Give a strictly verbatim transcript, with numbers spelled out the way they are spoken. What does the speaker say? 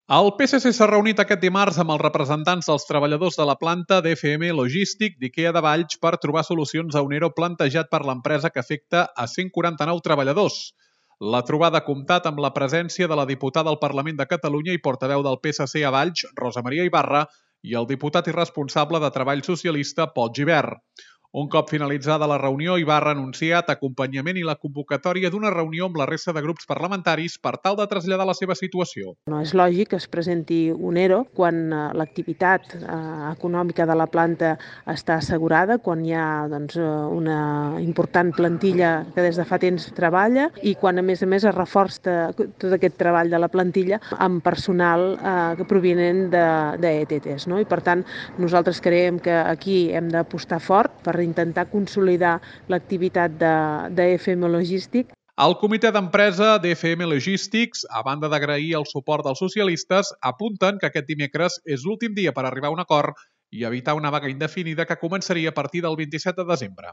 El P S C s'ha reunit aquest dimarts amb els representants dels treballadors de la planta d'F M Logístic d'IKEA de Valls per trobar solucions a un ERO plantejat per l'empresa que afecta a cent quaranta-nou treballadors. La trobada ha comptat amb la presència de la diputada al Parlament de Catalunya i portaveu del P S C a Valls, Rosa Maria Ibarra, i el diputat i responsable de Treball Socialista, Pol Gibert. Un cop finalitzada la reunió, Ibarra ha anunciat acompanyament i la convocatòria d'una reunió amb la resta de grups parlamentaris per tal de traslladar la seva situació. No és lògic que es presenti un ERO quan eh, l'activitat eh, econòmica de la planta està assegurada, quan hi ha doncs, una important plantilla que des de fa temps treballa i quan a més a més es reforça tot aquest treball de la plantilla amb personal eh, provinent d'E T Ts. No? I per tant nosaltres creiem que aquí hem d'apostar fort per intentar consolidar l'activitat d'F M Logístic. El comitè d'empresa d'F M Logistics, a banda d'agrair el suport dels socialistes, apunten que aquest dimecres és l'últim dia per arribar a un acord i evitar una vaga indefinida que començaria a partir del vint-i-set de desembre.